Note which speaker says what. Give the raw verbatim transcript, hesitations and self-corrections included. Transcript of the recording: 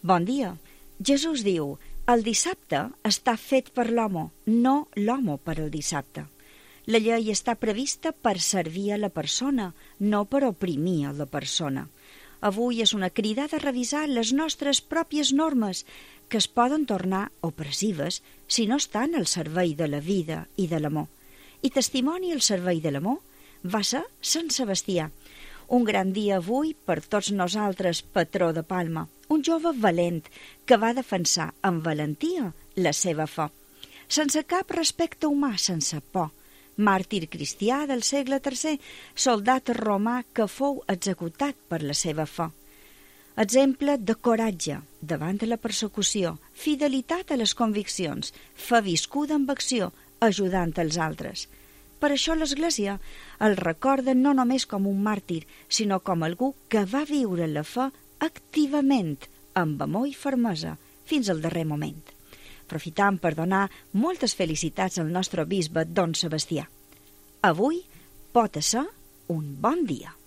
Speaker 1: Bon dia. Jesús diu: el dissabte està fet per l'home, no l'home per al dissabte. La llei està prevista per servir a la persona, no per oprimir a la persona. Avui és una crida de revisar les nostres pròpies normes, que es poden tornar opressives si no estan al servei de la vida i de l'amor. I testimoni al servei de l'amor va ser Sant Sebastià. Un gran dia avui per tots nosaltres, patró de Palma, un jove valent que va defensar amb valentia la seva fe, sense cap respecte humà, sense por. Màrtir cristià del segle tercer, soldat romà que fou executat per la seva fe. Exemple de coratge davant de la persecució, fidelitat a les conviccions, fe viscuda amb acció, ajudant els altres. Per això l'Església el recorda no només com un màrtir, sinó com algú que va viure la fe activament, amb amor i fermesa, fins al darrer moment. Aprofitam per donar moltes felicitats al nostre bisbe, don Sebastià. Avui pot ser un bon dia.